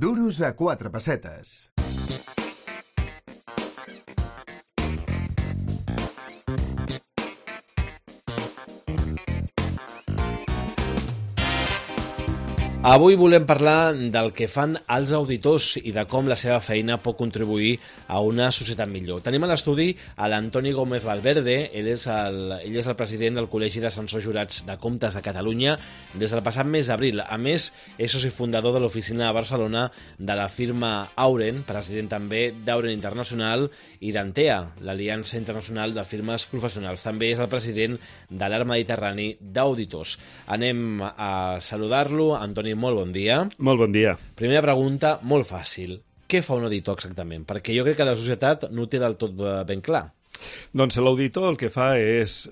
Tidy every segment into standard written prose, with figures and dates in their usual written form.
Duros a 4 pessetes. Avui volem parlar del que fan els auditors i de com la seva feina pot contribuir a una societat millor. Tenim a l'estudi a l'Antoni Gómez Valverde, ell és el president del Col·legi d'Ascensors Jurats de Comptes de Catalunya des del passat mes d'abril. A més, és soci fundador de l'oficina de Barcelona de la firma Auren, president també d'Auren Internacional i d'Antea, l'Aliança Internacional de Firmes Professionals. També és el president de l'Arc Mediterrani d'Auditors. Anem a saludar-lo. Antoni, molt bon dia. Molt bon dia. Primera pregunta, molt fàcil. Què fa un auditor exactament? Perquè jo crec que la societat no ho té del tot ben clar. Doncs l'auditor el que fa és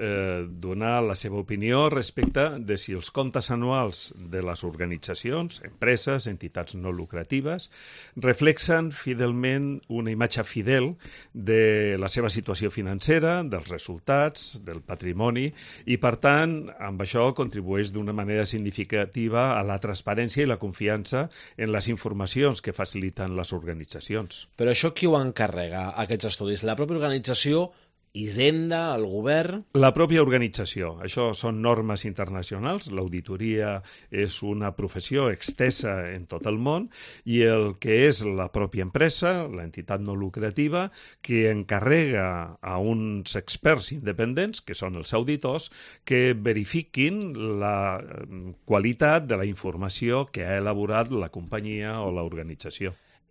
donar la seva opinió respecte de si els comptes anuals de les organitzacions, empreses, entitats no lucratives, reflexen fidelment una imatge fidel de la seva situació financera, dels resultats, del patrimoni, i per tant, amb això contribueix d'una manera significativa a la transparència i la confiança en les informacions que faciliten les organitzacions. Però això qui ho encarrega, aquests estudis? La pròpia organització, Hisenda, el govern? La pròpia organització. Això són normes internacionals. L'auditoria és una professió extensa en tot el món i el que és la pròpia empresa, l'entitat no lucrativa, que encarrega a uns experts independents, que són els auditors, que verifiquin la qualitat de la informació que ha elaborat la companyia o l'organització.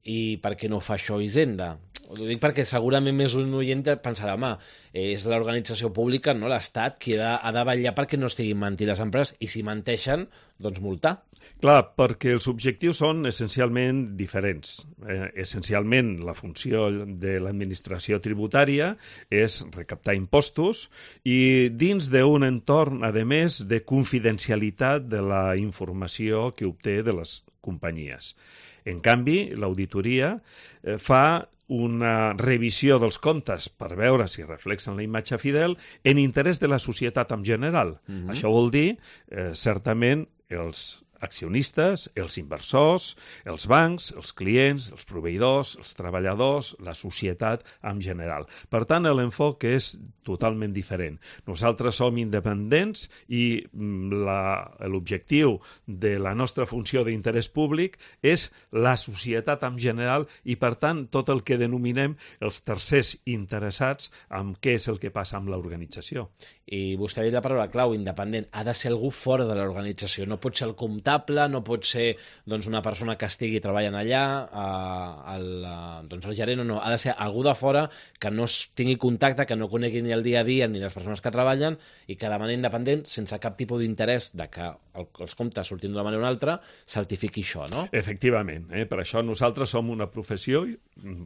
I per què no fa això Hisenda? Ho dic perquè segurament més un oient pensarà, home, és l'organització pública, no l'Estat, qui ha de vetllar perquè no estiguin mentint les empreses, i si menteixen, doncs multar. Clar, perquè els objectius són essencialment diferents. Essencialment, la funció de l'administració tributària és recaptar impostos i dins d'un entorn, a més, de confidencialitat de la informació que obté de les companyies. En canvi, l'auditoria fa una revisió dels comptes per veure si reflexen la imatge fidel en interès de la societat en general. Això vol dir, certament, els accionistes, els inversors, els bancs, els clients, els proveïdors, els treballadors, la societat en general. Per tant, l'enfoc és totalment diferent. Nosaltres som independents i l'objectiu de la nostra funció d'interès públic és la societat en general i, per tant, tot el que denominem els tercers interessats en què és el que passa amb l'organització. I vostè ha dit la paraula clau, independent. Ha de ser algú fora de l'organització. No pot ser el comptable, no pot ser una persona que estigui treballant allà, el gerent, no. Ha de ser algú de fora que no tingui contacte, que no conegui ni el dia a dia ni les persones que treballen i que de manera independent, sense cap tipus d'interès de que els comptes surtin d'una manera o una altra, certifiqui això, no? Efectivament. Per això nosaltres som una professió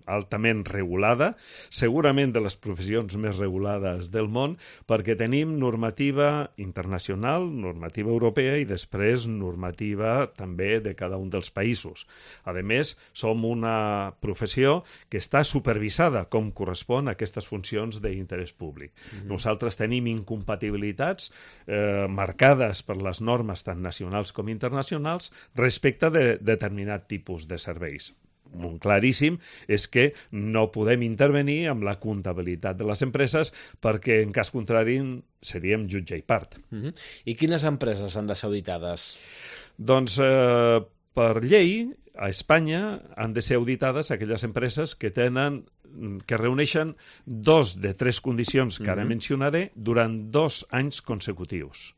altament regulada, segurament de les professions més regulades del món, perquè tenim normativa internacional, normativa europea i després normativa també de cada un dels països. A més, som una professió que està supervisada com correspon a aquestes funcions d'interès públic. Nosaltres tenim incompatibilitats marcades per les normes tant nacionals com internacionals respecte de determinat tipus de serveis. Un claríssim és que no podem intervenir amb la comptabilitat de les empreses perquè, en cas contrari, seríem jutge i part. I quines empreses han de ser auditades? Doncs, per llei, a Espanya han de ser auditades aquelles empreses que reuneixen 2 de 3 condicions que ara mencionaré durant 2 anys consecutius.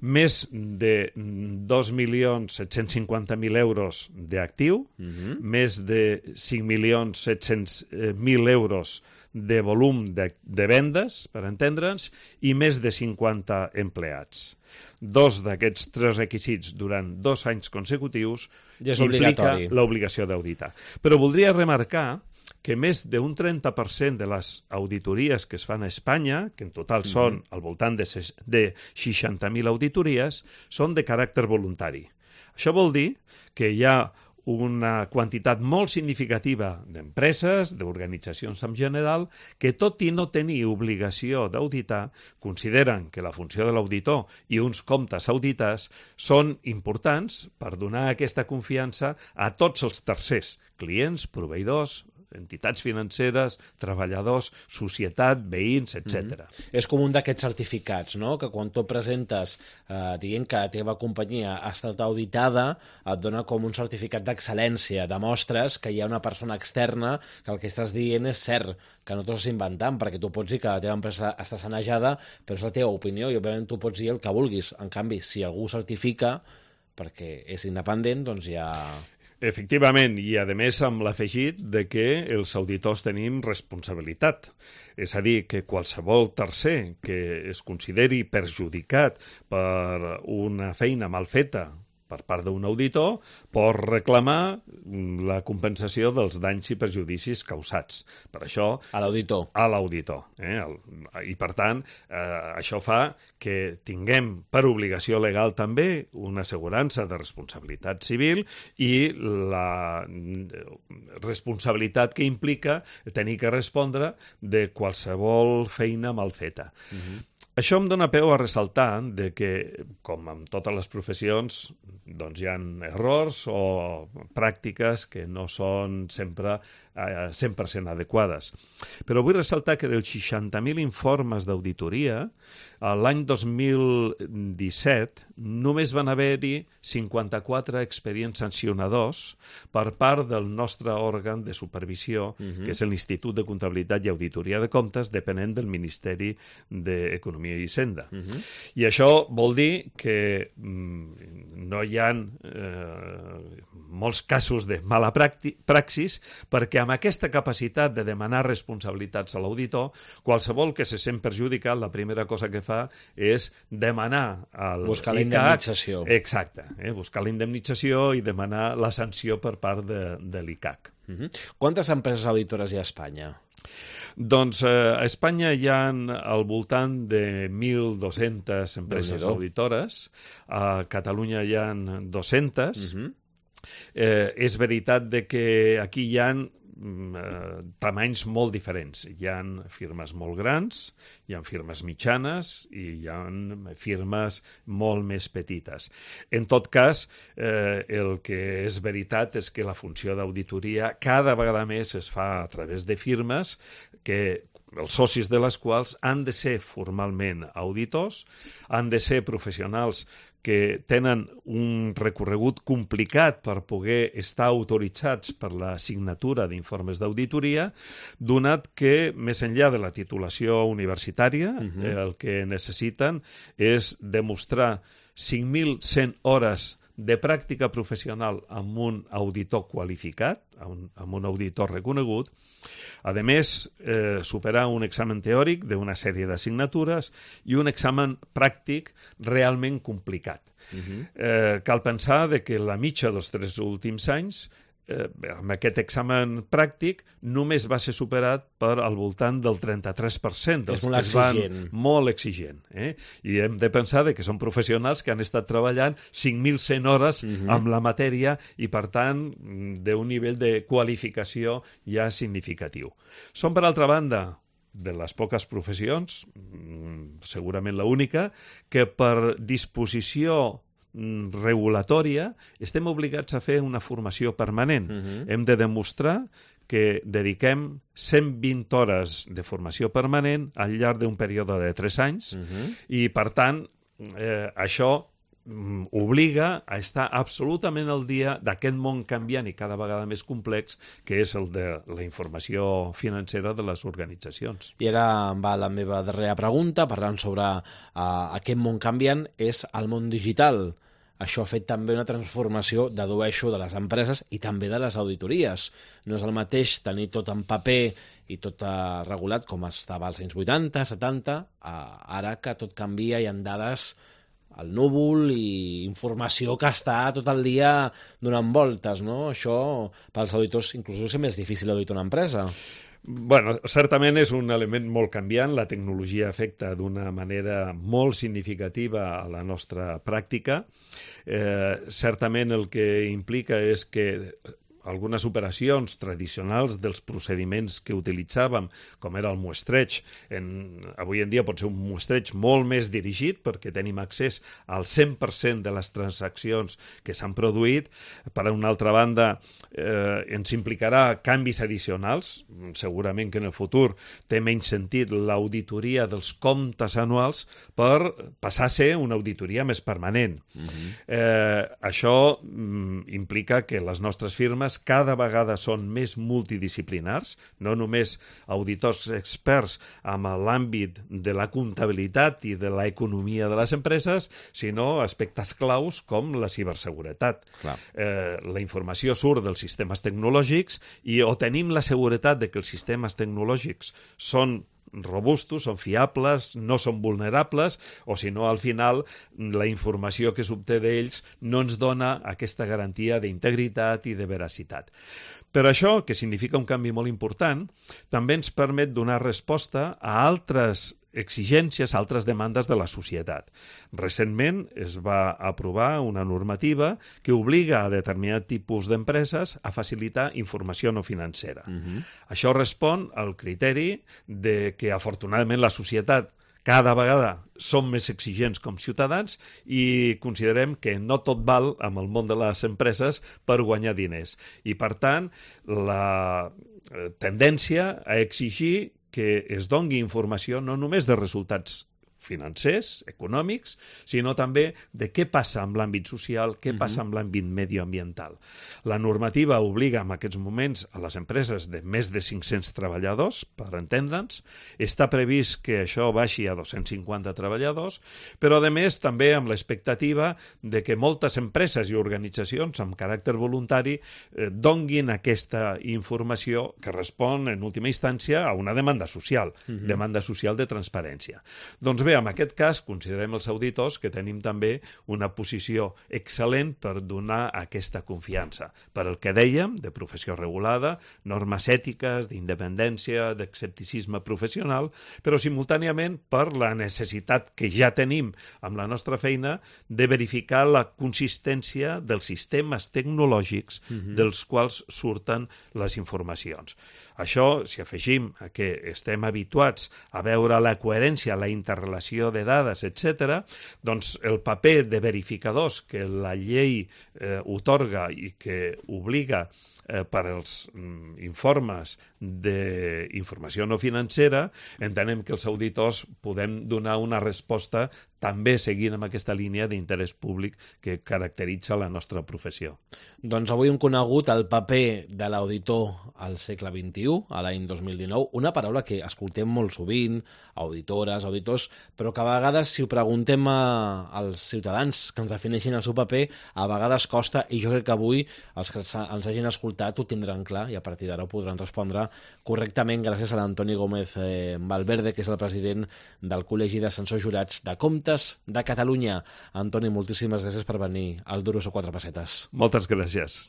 Més de 2.750.000 euros d'actiu, més de 5.700.000 euros de volum de vendes, per entendre'ns, i més de 50 empleats. 2 d'aquests 3 requisits durant 2 anys consecutius implica l'obligació d'auditar. Però voldria remarcar que més d'un 30% de les auditories que es fan a Espanya, que en total són al voltant de 60.000 auditories, són de caràcter voluntari. Això vol dir que hi ha una quantitat molt significativa d'empreses, d'organitzacions en general, que tot i no tenir obligació d'auditar, consideren que la funció de l'auditor i uns comptes auditats són importants per donar aquesta confiança a tots els tercers, clients, proveïdors, entitats financeres, treballadors, societat, veïns, etc. És com un d'aquests certificats, no? Que quan tu presentes dient que la teva companyia ha estat auditada, et dona com un certificat d'excel·lència. Demostres que hi ha una persona externa que el que estàs dient és cert, que no t'ho estàs inventant, perquè tu pots dir que la teva empresa està sanejada, però és la teva opinió i òbviament tu pots dir el que vulguis. En canvi, si algú certifica perquè és independent, doncs ja... Efectivament, i a més amb l'afegit de que els auditors tenim responsabilitat. És a dir, que qualsevol tercer que es consideri perjudicat per una feina mal feta per part d'un auditor, pot reclamar la compensació dels danys i perjudicis causats. Per això... A l'auditor. A l'auditor. I, per tant, això fa que tinguem per obligació legal també una assegurança de responsabilitat civil i la responsabilitat que implica tenir que respondre de qualsevol feina mal feta. Això em dona peu a ressaltar de que, com en totes les professions, doncs hi ha errors o pràctiques que no són sempre 100% adequades. Però vull ressaltar que dels 60.000 informes d'auditoria, l'any 2017 només van haver-hi 54 expedients sancionadors per part del nostre òrgan de supervisió, que és l'Institut de Comptabilitat i Auditoria de Comptes, depenent del Ministeri d'Economia i Hisenda. I això vol dir que no hi ha molts casos de mala praxis, perquè amb aquesta capacitat de demanar responsabilitats a l'auditor, qualsevol que se sent perjudicat, la primera cosa que fa és demanar al buscar la indemnització. Exacte, buscar la indemnització i demanar la sanció per part de l'ICAC. Quantes empreses auditores hi ha a Espanya? Doncs a Espanya hi ha al voltant de 1.200 empreses auditores, a Catalunya hi ha 200. És veritat de que aquí hi ha tamanys molt diferents. Hi ha firmes molt grans, hi ha firmes mitjanes i hi ha firmes molt més petites. En tot cas, el que és veritat és que la funció d'auditoria cada vegada més es fa a través de firmes que els socis de les quals han de ser formalment auditors, han de ser professionals que tenen un recorregut complicat per poder estar autoritzats per la signatura d'informes d'auditoria, donat que, més enllà de la titulació universitària, el que necessiten és demostrar 5.100 hores de pràctica professional amb un auditor qualificat, amb un auditor reconegut, a més, superar un examen teòric d'una sèrie d'assignatures i un examen pràctic realment complicat. Cal pensar que la mitja dels 3 últims anys amb aquest examen pràctic només va ser superat per al voltant del 33% dels que es van... Molt exigent. I hem de pensar que són professionals que han estat treballant 5.100 hores amb la matèria i, per tant, d'un nivell de qualificació ja significatiu. Són, per altra banda, de les poques professions, segurament l'única, que per disposició regulatòria estem obligats a fer una formació permanent. Hem de demostrar que dediquem 120 hores de formació permanent al llarg d'un període de 3 anys i, per tant, això obliga a estar absolutament al dia d'aquest món canviant i cada vegada més complex que és el de la informació financera de les organitzacions. I ara va la meva darrera pregunta, parlant sobre aquest món canviant, és el món digital. Això ha fet també una transformació, dedueixo, de les empreses i també de les auditories. No és el mateix tenir tot en paper i tot regulat com estava als anys 80, 70, ara que tot canvia i en dades al núvol i informació que està tot el dia donant voltes, no? Això, pels auditors, inclús és més difícil auditar una empresa. Bueno, certament és un element molt canviant. La tecnologia afecta d'una manera molt significativa a la nostra pràctica. Certament el que implica és que algunes operacions tradicionals dels procediments que utilitzàvem, com era el muestreig, avui en dia pot ser un muestreig molt més dirigit perquè tenim accés al 100% de les transaccions que s'han produït. Per una altra banda, ens implicarà canvis addicionals. Segurament que en el futur té menys sentit l'auditoria dels comptes anuals per passar a ser una auditoria més permanent. Això implica que les nostres firmes cada vegada són més multidisciplinars, no només auditors experts amb l'àmbit de la comptabilitat i de l'economia de les empreses, sinó aspectes claus com la ciberseguretat. La informació surt dels sistemes tecnològics i o tenim la seguretat de que els sistemes tecnològics són robustos, són fiables, no són vulnerables, o si no, al final, la informació que s'obté d'ells no ens dona aquesta garantia d'integritat i de veracitat. Per això, que significa un canvi molt important, també ens permet donar resposta a altres exigències, altres demandes de la societat. Recentment es va aprovar una normativa que obliga a determinat tipus d'empreses a facilitar informació no financera. Això respon al criteri de que, afortunadament, la societat cada vegada som més exigents com ciutadans i considerem que no tot val amb el món de les empreses per guanyar diners. I, per tant, la tendència a exigir que es doni informació no només de resultats financers, econòmics, sinó també de què passa amb l'àmbit social, què passa amb l'àmbit medioambiental. La normativa obliga en aquests moments a les empreses de més de 500 treballadors, per entendre'ns. Està previst que això baixi a 250 treballadors, però a més també amb l'expectativa de que moltes empreses i organitzacions amb caràcter voluntari donguin aquesta informació que respon en última instància a una demanda social, demanda social de transparència. Doncs bé, en aquest cas, considerem els auditors que tenim també una posició excel·lent per donar aquesta confiança. Per el que dèiem, de professió regulada, normes ètiques, d'independència, d'escepticisme professional, però simultàniament per la necessitat que ja tenim amb la nostra feina de verificar la consistència dels sistemes tecnològics dels quals surten les informacions. Això, si afegim que estem habituats a veure la coherència, la interrelació de dades, etc., doncs el paper de verificadors que la llei otorga i que obliga per als informes d'informació no financera, entenem que els auditors podem donar una resposta també seguint amb aquesta línia d'interès públic que caracteritza la nostra professió. Doncs avui hem conegut el paper de l'auditor al segle XXI, a l'any 2019, una paraula que escoltem molt sovint, auditores, auditors, però que a vegades, si ho preguntem als ciutadans que ens defineixin el seu paper, a vegades costa, i jo crec que avui els que ens hagin escoltat ho tindran clar i a partir d'ara ho podran respondre correctament gràcies a l'Antoni Gómez Valverde, que és el president del Col·legi d'Ascensors Jurats de Comptes de Catalunya. Antoni, moltíssimes gràcies per venir al Duros o Quatre Pessetes. Moltes gràcies.